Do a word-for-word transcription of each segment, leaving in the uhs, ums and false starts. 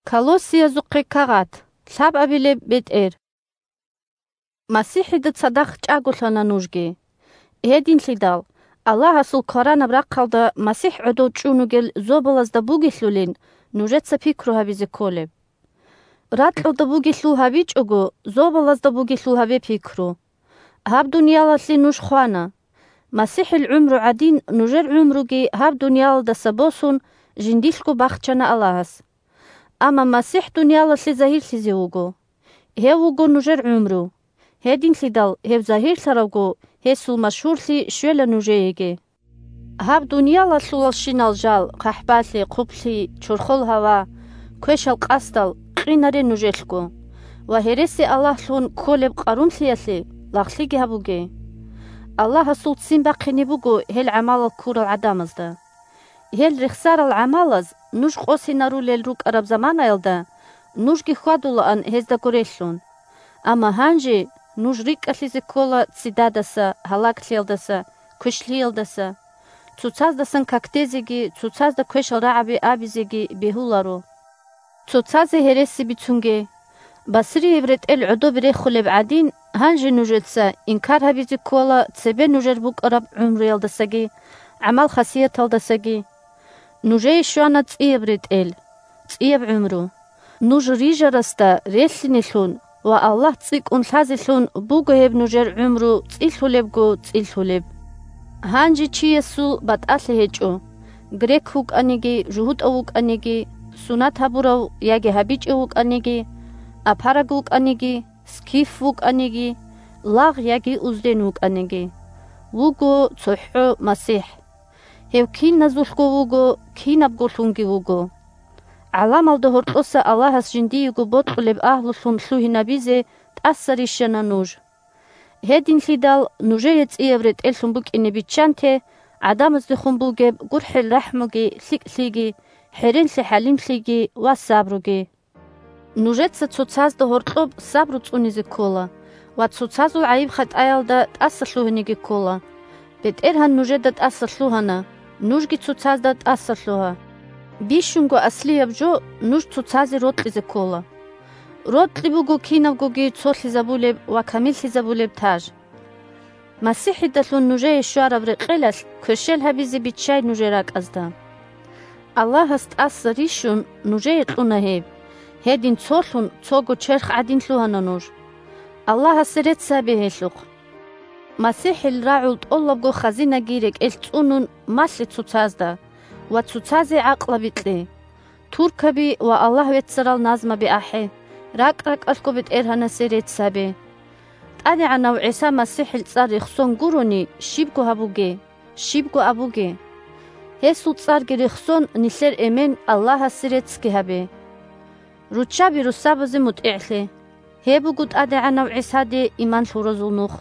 Колоссиязухъе кагъат, лъабабилеб бетӀер. МасихӀида цадахъ чӀаголъана нужги. Гьединлъидал, Аллагьасул кваранаб рахъалда МасихӀ гӀодов чӀун вугел зобалазда бугелъулин нужеца пикру гьабизе кколеб. Ракьалда бугелъул гьабичӀого, зобалазда бугелъул гьабе пикру. Гьаб дуниялалъе нуж хвана. МасихӀил гӀумру гӀадин, нужер гӀумруги гьаб дуниялалдаса босун, жиндилъго бахчана Аллагьас. Амма МасихӀ дуниялалъе загьирлъизе вуго. Гьев вуго нужер гӀумру. Гьединлъидал гьев загьирлъаравго, гьесул машгьурлъи щвела нужееги. Гьаб дуниялалъулалщинал жал, хъахӀбалъи, хъублъи, чорхол гьава, квешал къасдал, къинаре нужелъго, ва гьереси-аллагьлъун кколеб къарумлъиялъе лагълъиги гьабуге. Аллагьасул ццин бахъине буго гьел гӀамалал ккурал гӀадамазда. Гьел рехсарал гӀамалаз нуж къосинарулел рукӀараб заманаялда нужги хьвадулаан гьездаго релълъун. Амма гьанже нуж рикӀкӀалъизе ккола ццидадаса, гьалаглъиялдаса, квешлъиялдаса. Цоцаздасан какдезеги, цоцазда квешал рагӀаби абизеги бегьуларо. Цоцазе гьереси бицунге. Басрияб ретӀел гӀодобе рехулеб гӀадин, гьанже нужеца инкар гьабизе ккола цебе нужер букӀараб гӀумруялдасаги, гӀамал-хасияталдасаги. Нужее щвана цӀияб ретӀел, цӀияб гӀумру. Нуж рижарасда релълъинелъун ва Аллагь цӀикӀкӀун лъазелъун буго гьеб нужер гӀумру цӀилъулебго цӀилъулеб. Гьанже чиясул батӀалъи гьечӀо: грек вукӀаниги, жугьутӀав вукӀаниги, сунат гьабурав яги гьабичӀев вукӀаниги, апараг вукӀаниги, скиф вукӀаниги, лагъ яги узден вукӀаниги. Вуго цохӀо МасихӀ. Гьев киназулъго вуго, кинабголъунги вуго. ГӀаламалда гьоркьоса Аллагьас жиндиего бокьулеб агьлулъун лъугьинабизе тӀаса рищана нуж. Гьединлъидал нужее цӀияб ретӀеллъун букӀине биччанте гӀадамаздехун бугеб гурхӀел-рахӀмуги, лъикӀлъиги, хӀеренлъи-хӀалимлъиги ва сабруги. Нужеца цоцазда гьоркьоб сабру цӀунизе ккола ва цоцазул гӀайиб-хатӀаялда тӀаса лъугьинеги ккола. БетӀергьан нужеда тӀаса лъугьана, нужги цоцазда тӀаса лъугьа. Бищунго аслияб жо нуж цоцазе рокьизе ккола. Рокьи буго кинабгоги цолъизабулеб ва камиллъизабулеб таж. МасихӀидалъун нужее щвараб рекъелалъ кверщел гьабизе биччай нужер ракӀазда. Аллагьас тӀаса рищун нужее кьуна гьеб, гьедин цолъун цого черх гӀадин лъугьана нуж. Аллагьасе рецц гьабе гьелъухъ. МасихӀил рагӀул тӀолабго хазинаги рекӀелъ цӀунун малъе цоцазда ва цоцазе гӀакълаби кье. Туркаби ва Аллагь веццарал назмаби ахӀе, ракӀ-ракӀалъго БетӀергьанасе рецц гьабе. ТӀадегӀанав ГӀиса МасихӀил цӀар рехсон гурони, щибго гьабуге, щибго абуге. Гьесул цӀарги рехсон, нилъер эмен Аллагьасе реццги гьабе. Руччаби русабазе мутӀигӀлъе. Гьеб буго ТӀадегӀанав ГӀисаде иман лъуразул нух.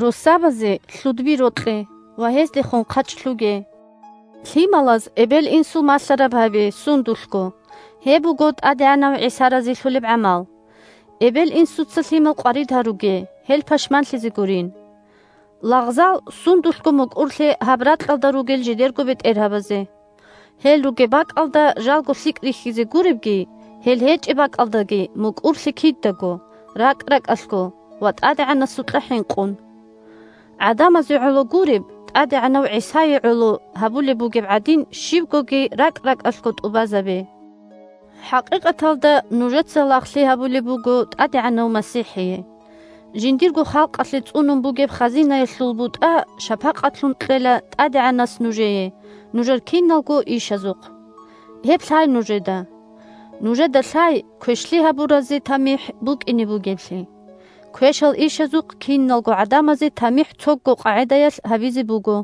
Русабазе лъудби рокье ва гьездехун хъачӀ лъуге. Лъималаз эбел-инсул малъараб гьабе сундулъго. Гьеб буго ТӀадегӀанав ГӀиса разилъулеб гӀамал. Эбел-инсуца лъимал къварид гьаруге, гьел пашманлъизе гурин. Лагъзал сундулъго мукӀурлъе гьаб ракьалда ругел жидерго бетӀергьабазе. Гьел ругеб бакӀалда жалго лъикӀ рихьизе гуребги, гьел гьечӀеб бакӀалдаги мукӀурлъе кидаго, ракӀ-ракӀалъго ва ТӀадегӀанасукьа хӀинкъун. ГӀадамазе гӀоло гуреб, ТӀадегӀанав ГӀисае гӀоло гьабулеб бугеб гӀадин, щибгоги ракӀ-ракӀалъго тӀубазабе. ХӀакъикъаталда нужеца лагълъи гьабулеб буго ТӀадегӀанав МасихӀие. Жиндирго халкъалъе цӀунун бугеб хазинаялъул бутӀа шапакъатлъун кьела ТӀадегӀанас нужее, нужер киналго ишазухъ. Гьеб лъай нужеда. Нужеда лъай квешлъи гьабуразе тамихӀ букӀине бугеблъи. Квешал ишазухъ киналго гӀадамазе тамихӀ цого къагӀидаялъ гьабизе буго.